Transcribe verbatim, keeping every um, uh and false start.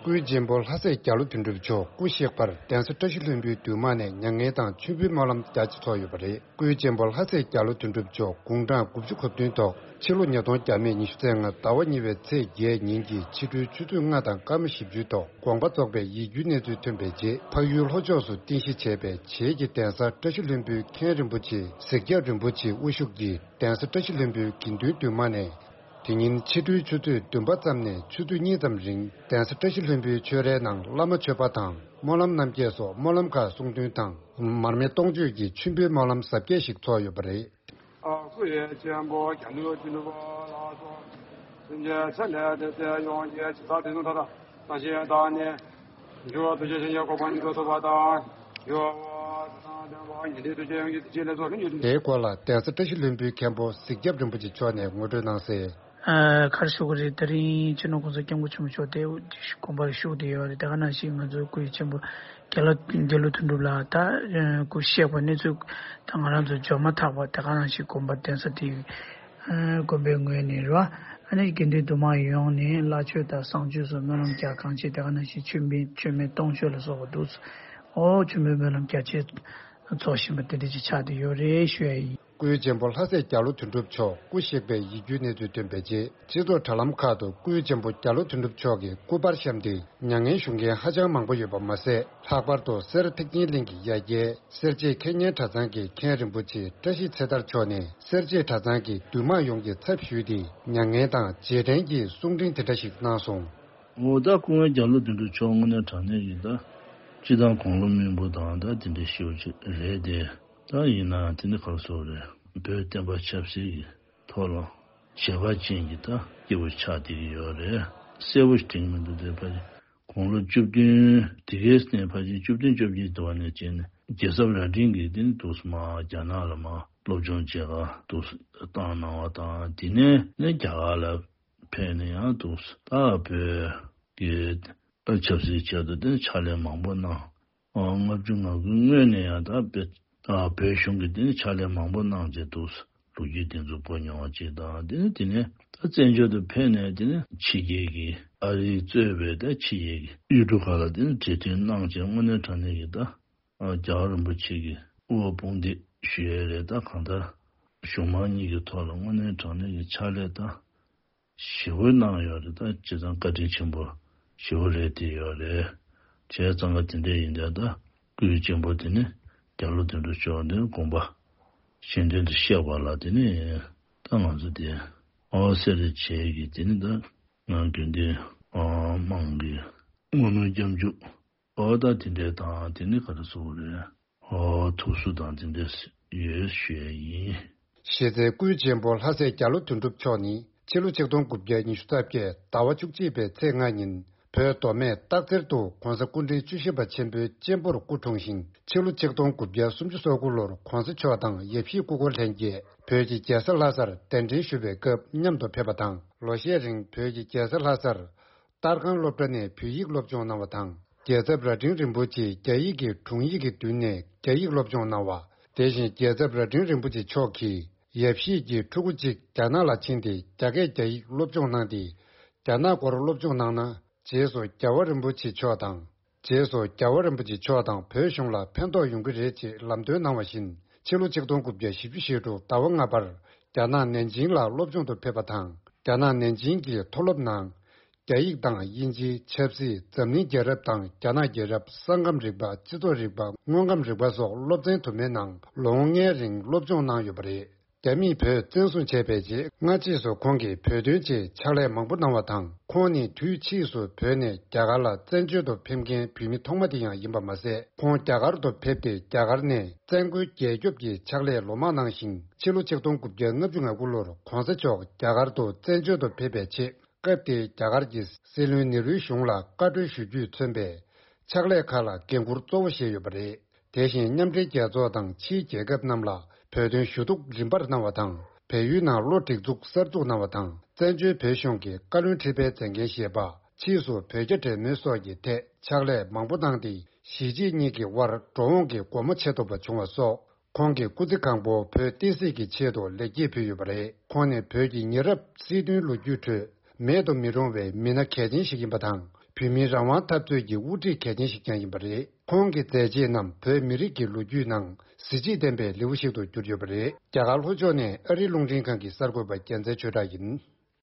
སྐུའི་གཅེན་པོ་ལྷ་སྲས་རྒྱ་ལོ་དོན་གྲུབ་མཆོག་སྐུ་གཤེགས་པར་གདན་ས་བཀྲ་ཤིས་ལྷུན་པོའི་འདུས་དམངས་ནས་མྱ་ངན་དང་མཆོད་འབུལ་སྨོན་ལམ་རྒྱ་ཆེ་ཚོགས་ཡོད་པ་རེད། སྐུའི་གཅེན་པོ་ལྷ་སྲས་རྒྱ་ལོ་དོན་གྲུབ་མཆོག་དགུང་གྲངས་དགུ་བཅུ་གོ་བདུན་ཐོག་ཕྱི་ལོ་ཉིས་སྟོང་བརྒྱ་མེད་ཉི་ཤུ་རྩ་ལྔ་ཟླ་བ་གཉིས་པའི་ཚེས་བརྒྱད་ཉིན་གྱི་ཕྱི་དྲོའི་ཆུ་ཚོད་ལྔ་དང་སྐར་མ་བཞི་བཅུའི་ཐོག་དགོངས་པ་རྫོགས་པའི་ཡིད་འགྱུར་གནས་ཚུལ་ཐོན་པའི་རྗེས། འཕགས་ཡུལ་ལྷོ་ཕྱོགས་སུ་རྟེན་གཞི་བྱས་པའི་བྱེས་ཀྱི་གདན་ས་བཀྲ་ཤིས་ལྷུན་པོའི་མཁན་རིན་པོ་ཆེ་གཟིག་རྒྱབ་རིན་པོ་ཆེའི་དབུ་བཞུགས་ཀྱིས་གདན་ས་བཀྲ་ཤིས་ལྷུན་པོའི་དགེ་འདུན་འདུས་མང་ནས། དེ་ཉིན་ཕྱི་དྲོའི་ཆུ་ཚོད་བདུན་པ་ཙམ་ནས་ཆུ་ཚོད་གཉིས་ཙམ་རིང་གདན་ས་བཀྲ་ཤིས་ལྷུན་པོའི་ཆོས་རའི་ནང་བླ་མ་མཆོད་པ་དང་སྨོན་ལམ་རྣམ་བརྒྱད་སོགས་སྨོན་ལམ་ཁག་གསུང་འདོན་དང་། མར་མེ་སྟོང་མཆོད་ཀྱི་མཆོད་འབུལ་སྨོན་ལམ་གཟབ་རྒྱས་ཤིག་ཚོགས་ཡོད་པ་རེད། སྐུ་ཡི་ཆེན་པོ་རྒྱ་ནུ་ཅི་ནུ་བ་ལ་སོགས། སེམས་ཅན་ཚེ་ལས་འདས་ཚེ་ཡོངས་ཀྱི་ཇི་ལྟར་དེ་ཚུ་མཐའ་དག་ས་གཞི་བདག་ནི། འགྱུར་བ་ཐུགས་རྗེ་ཆེན་པོའི་གོ་འཕང་མྱུར་དུ་ཐོབ་པ་དང་། འགྱུར་བ་དང་ལྡན་པ་ཉན་ཐོས་ཐུགས་རྗེ་ཡོངས་ཀྱི་དེ་ཅི་ལས་ཚོགས་ཀྱི་མྱུར་དུ། དེའི་སྐོར་ལ་གདན་ས་བཀྲ་ཤིས་ལྷུན་པོའི་མཁན་པོ་གཟིག་རྒྱབ་རིན་པོ་ཆེ་མཆོག་ནས་ངོ་སྤྲོད་གནང་གསལ། ཨ་ག་རེ་ཞུ་གི་རེད། དེ་རིང་སྤྱི་ནོར་གོང་ས་སྐྱབས་མགོན་ཆེན་པོ་མཆོག་དེ་དགོངས་པ་བཞུགས་བསྡད་ཡོད་རེད། དེ་ག་ནང་བཞིན་ང་ཚོའི་སྐུའི་ཆེན་པོ་རྒྱ་ལོ་རྒྱ་ལོ་དོན་གྲུབ་ལགས་ད་སྐུ་གཤེགས་པ་གནས་ཚུལ་ད་ང་རང་ཚོ་འབྱོར་མ་ཐག་པ་དེ་ག་ནང་བཞིན་དགོངས་པ་གདན་ས་དེ་དགོན་པའི་ངོས་ནས་རེད་བ། ཨ་ནི་དགེ་འདུན་འདུས་མང་ཡོངས་ནས་བླ་མཆོད་དང་བཟང་སྤྱོད་སོགས་སྨོན་ལམ་རྒྱ་གང་ཆེ། དེ་ག་ནང་བཞིན་མཆོད་འབུལ་མཆོད་མེ་སྟོང་མཆོད་ལ་སོགས་པ་འདུག་ཨོ་མཆོད་འབུལ་སྨོན་ལམ་རྒྱ་ཆེ་ཚོགས་བཞིན་པ་དེ་འདྲ་ཅིག་ཆགས་བསྡད་ཡོད་རེད་ཞུ་ཡ་ཡིན། སྐུའི་གཅེན་པོ་ལྷ་སྲས་རྒྱ་ལོ་དོན་གྲུབ་མཆོག་སྐུ་གཤེགས་པའི་ཡིད་སྐྱོའི་གནས་ཚུལ་ཐོན་པའི་རྗེས། སྤྱི་ཚོགས་དྲ་ལམ་ཁག་ཏུ་སྐུའི་གཅེན་པོ་རྒྱ་ལོ་དོན་གྲུབ་མཆོག་གི་སྐུ་པར་བཤམས་ཏེ་མྱ་ངན་ཞུ་མཁན་ཧ་ཅང་མང་པོ་ཡོད་པ་མ་ཟད། ལྷག་པར་དུ་སེར་ཐེག་ཆེན་གླིང་གི་ཡ་གྱལ་སེར་བྱེས་མཁས་སྙན་གྲྭ་ཚང་གི་མཁན་རིན་པོ་ཆེ་བཀྲ་ཤིས་ཚེ་དར་མཆོག་ནས་སེར་བྱེས་གྲྭ་ཚང་གི་འདུས་མང་ཡོངས་ཀྱི་ཚབ་ཞུས་ཏེ་མྱ་ངན་དང་རྗེས་དྲན་གྱི་གསུང་འཕྲིན་དེ་འདྲ་ཞིག་གནང་སོང་། འོ་ད་སྐུ་ངོ་རྒྱ་ལོ་དོན་གྲུབ་མཆོག་དངོས་གནས་དྲང་གནས་ཀྱི་ད་སྤྱི་བཏང་དགུང་ལོ་སྨིན་པོ་དང་ད་དེ་འདྲའི་ཞེ་པོ་ཅིག་རེད་དེ། ད་ཡིན་ནའང་དེ་ནི་ག་རེ་ཟེར་དགོས་རེད། བོད་བསྟན་པ་ཆབ་སྲིད་ཀྱི་ཐོག་ལ་བྱེ་བ་ཅན་གྱི་ད་སྐྱེས་བུ་ཆགས་བསྡད་ཀྱི་ཡོད་རེད། གསལ་པོ་ཞིག་དྲན་གྱི་མི་འདུག་དེ་ཕ་དགུང་ལོ་བཅུ་བདུན་དེ་གའི་སྟེང་ཕལ་ཆེར་བཅུ་བདུན་བཅོ་བརྒྱད་དུ་བ་ནས་བྱས་ནས་རྒྱལ་ཚབ་རྭ་སྒྲེང་གིས་དེ་ནི་འདུག་སེ་མར་རྒྱ་ནག་ལ་མར་སློབ་སྦྱོང་བྱེད་ག་འདུག་སེ་བཏང་གནང་བ་དང་། དེ་ནས་ནི་རྒྱ་གར་ལ་ཕེབས་ནས་ཡང་འདུག་སེ་ད་བོད་ཀྱི་ཆབ་སྲིད་ཆེད་དུ་དེ་ནི་ཕྱག་ལས་མང་པོ་གནང་། ལྔ་བཅུ་ང་དགུའི་སྔོན་ནས་ཡང་ད་བོད་ད་བོད་གཞུང་གི་དེ་ནི་ཕྱག་ལས་མང་པོ་གནང་བྱས་འདུག་སེ་ལོ་རྒྱུས་དེ་ཚོ་གོ་མྱོང་བ་ཅིག་དང་། དེ་ནི་དེ་ནས་ད་བཙན་བྱོལ་དུ་ཕེབས་ནས་དེ་ནི་ཕྱི་རྒྱལ་གྱི་ཨ་རིས་གཙོས་པའི་ད་ཕྱི་རྒྱལ་གྱི་ཡུལ་གྲུ་ཁག་ལ་དེ་ནི་གྲོས་མཐུན་གནང་བྱས་དངོས་གནས་དྲང་གནས་ཀྱི་ད་རྒྱལ་བ་རིན་པོ་ཆེ་གི་དབུ་བ་དཔུང་འདེགས་ཞུ་ཡས་རེད། ད་གང་ལྟར་གཞུང་མང་གཉིས་ཀྱི་ཐོག་ལ་དངོས་གནས་དྲང་གནས་ཀྱི་ཕྱག་ལས་ད་ཞེ་པོ་གནང་ཡོད་རེད། ད་བྱས་ཙང་བཀའ་དྲིན་ཆེན་པོ་ཞེ་པོ་རེད་བསྡད་ཡོད་རེད། བྱས་ཙང་ག་དེ་འདྲ་ཡིན་དུས་ད་སྐུའི་གཅེན་པོ་དེ་ནི་རྒྱ་ལོ་དོན་གྲུབ་མཆོག་འདི་དགོངས་པ་གཞན་དོན་དུ་གཤེགས་པ་ལ་དེ་ནི་ད་ང་ཚོ་དེ་ཨོ་སེ་རེད་བྱས་ཀྱི་དེ་ནི་ད་ང་དགེ་འདུན་ཨོ་དམངས་ཀྱི་བསྔོ་སྨོན་སྐྱབས་འཇུག་ཨོ་ད་དེ་འདྲའི་དང་དེ་ནི་ག་རེ་ཟེར་དགོས་རེད། ཨོ་ཐུགས་གསོ་དང་དེ་འདྲ་ཡོད་ཞུ་ཡས་ཡིན། གཞི་རྩའི་སྐུའི་གཅེན་པོ་ལྷ་སྲས་རྒྱ་ལོ་དོན་གྲུབ་མཆོག་ནི་ཕྱི་ལོ་ཆིག་སྟོང་དགུ་བརྒྱ་ཉི་ཤུ་རྩ་བརྒྱད་ཟླ་བ་བཅུ་གཅིག་པའི་ཚེས་ལྔ་ཉིན་བོད་མདོ་སྨད་སྟག་འཚེར་དུ་༧གོང་ས་སྐུ་ཕྲེང་བཅུ་བཞི་པ་ཆེན་པོའི་གཅེན་པོར་སྐུ་འཁྲུངས་ཤིང་། ཕྱི་ལོ་ཆིག་སྟོང་དགུ་བརྒྱ་སུམ་ཅུ་སོ་དགུ་ལོར་༧གོང་ས་མཆོག་དང་ཡབ་གཞིས་སྐུ་འཁོར་ལྷན་རྒྱས་བོད་ཀྱི་རྒྱལ་ས་ལྷ་སར་གདན་འདྲེན་ཞུ་བའི་སྐབས་མཉམ་དུ་ཕེབས་པ་དང་། ལོ་ཤས་རིང་བོད་ཀྱི་རྒྱལ་ས་ལྷ་སར་ཏར་ཁང་སློབ་གྲྭ་ནས་བོད་ཡིག་སློབ་སྦྱོང་གནང་བ་དང་། རྒྱལ་ཚབ་རྭ་སྒྲེང་རིན་པོ་ཆེས་རྒྱ་ཡིག་གི་དྲུང་ཡིག་གི་མདུན་ནས་རྒྱ་ཡིག་སློབ་སྦྱོང་གནང་བ། དེ་བཞིན་རྒྱལ་ཚབ་རྭ་སྒྲེང་རིན་པོ་ཆེ་མཆོག་གིས་ཡབ་གཞིས་ཀྱི་ཕྲུ་གུ་གཅིག་རྒྱ་ནག་ལ་ཕྱིན་ཏེ་རྒྱ་སྐད་རྒྱ་ཡིག་སློབ་སྦྱོང་གནང་སྟེ། རྒྱ་ནག་སྐོར་སློབ་སྦྱོང་གནང་ན་རྗེས་སུ་རྒྱལ་བ་རིན་པོ་ཆེ་མཆོག་དང་། རྗེས་སུ་རྒྱལ་བ་རིན་པོ་ཆེ་མཆོག་དང་བོད་གཞུང་ལ་ཕན་ཐོགས་ཡོང་གི་རེད་ཅེས་ལམ་སྟོན་གནང་བ་བཞིན། ཕྱི་ལོ་ཆིག་སྟོང་དགུ་བརྒྱ་བཞི་བཅུ་ཞེ་དྲུག་ཟླ་བ་ལྔ་པར་རྒྱ་ནག་ནན་ཅིང་ལ་སློབ་སྦྱོང་དུ་ཕེབས་པ་དང་། རྒྱ་ནག་ནན་ཅིང་གི་མཐོ་སློབ་ནང་རྒྱ་ཡིག་དང་དབྱིན་ཇི། ཆབ་སྲིད། འཛམ་གླིང་རྒྱལ་རབས་དང་རྒྱ་ནག་རྒྱལ་རབས། ས་ཁམས་རིག་པ། སྤྱི་ཚོགས་རིག་པ། དངོས་ཁམས་རིག་པ་སོགས་སློབ་ཚན་དུ་མའི་ནང་ལོ་ངོ་ལྔའི་རིང་སློབ་སྦྱོང་གནང་ཡོད་པ་རེད། རྒྱ་མིས་བོད་བཙན་བཟུང་བྱས་པའི་རྗེས་སྔ་རྗེས་སུ་ཁོང་གིས་བོད་དོན་ཆེད་ཕྱག་ལས་མང་པོ་གནང་བ་དང་། ཁོང་ནི་དུས་ཕྱིས་སུ་བོད་ནས་རྒྱ་གར་ལ་བཙན་བྱོལ་དུ་ཕེབས་མཁན་བོད་མི་ཐོག་མ་དེ་ཡང་ཡིན་པ་མ་ཟད། ཁོང་རྒྱ་གར་དུ་ཕེབས་ཏེ་རྒྱ་གར་ནས་བཙན་རྒོལ་རྒྱལ་སྐྱོབ་ཀྱི་ཕྱག་ལས་ལོ་མང་གནང་ཞིང་། ཕྱི་ལོ་ཆིག་སྟོང་དགུ་བརྒྱ་ལྔ་བཅུ་ང་དགུ་ལོར་༧གོང་ས་མཆོག་རྒྱ་གར་དུ་བཙན་བྱོལ་དུ་ཕེབས་པའི་ཆེད། སྐབས་དེའི་རྒྱ་གར་གྱི་སྲིད་བློན་ནེ་རུའི་གཞུང་ལ་བཀའ་འཁྲོལ་ཞུ་རྒྱུས་མཚོན་པའི་ཕྱག་ལས་ཁག་ལ་འགན་འཁུར་གཙོ་བོ་བཞེས་ཡོད་པ་རེད། དེ་བཞིན་མཉམ་འབྲེལ་རྒྱལ་ཚོགས་དང་ཕྱིའི་རྒྱལ་ཁབ་རྣམས་ལ་བོད་དོན་ཞུ་གཏུག་རིམ་པར་གནང་བ་དང་། བལ་ཡུལ་ནང་བློ་སྒྲིག་འཛུགས་གསར་འཛུགས་གནང་བ་དང་། བཙན་བྱོལ་བོད་གཞུང་གི་བཀའ་བློན་ཁྲི་པའི་མཛད་འགན་བཞེས་པ། ཕྱིས་སུ་བོད་རྒྱ་འབྲེལ་མོལ་སོགས་ཀྱི་ཐད་ཕྱག་ལས་མང་པོ་གནང་སྟེ། གཞིས་བྱེས་གཉིས་ཀྱི་དབར་འགྲོ་འོང་གི་སྒོ་མོ་ཕྱེ་ཐུབ་པ་བྱུང་བ་སོགས། ཁོང་གི་སྐུ་ཚེ་གང་པོ་བོད་བསྟན་སྲིད་ཀྱི་ཆེད་དུ་ལེགས་སྐྱེས་ཕུལ་ཡོད་པ་རེད། ཁོང་ནི་བོད་ཀྱི་ཉེ་རབས་སྲིད་དོན་ལོ་རྒྱུས་ཁྲོད་མེད་དུ་མི་རུང་བའི་མི་སྣ་གལ་ཆེན་ཞིག་ཡིན་པ་དང་། བོད་མིའི་རང་དབང་འཐབ་རྩོད་ཀྱི་དབུ་ཁྲིད་གལ་ཆེན་ཞིག་ཀྱང་ཡིན་པ་རེད། ཁོང་གི་མཛད་རྗེས་རྣམས་བོད་མི་རིགས་ཀྱི་ལོ་རྒྱུས་ནང་གཟི་བརྗིད་ལྡན་པའི་ལེའུ་ཞིག་ཏུ་གྱུར་ཡོད་པ་རེད། རྒྱ་གར་ལྷོ་ཕྱོགས་ནས་ཨ་རིའི་རླུང་འཕྲིན་ཁང་གི་གསར་འགོད་པ་རྒྱལ་མཚན་ཆོས་གྲགས་ཡིན།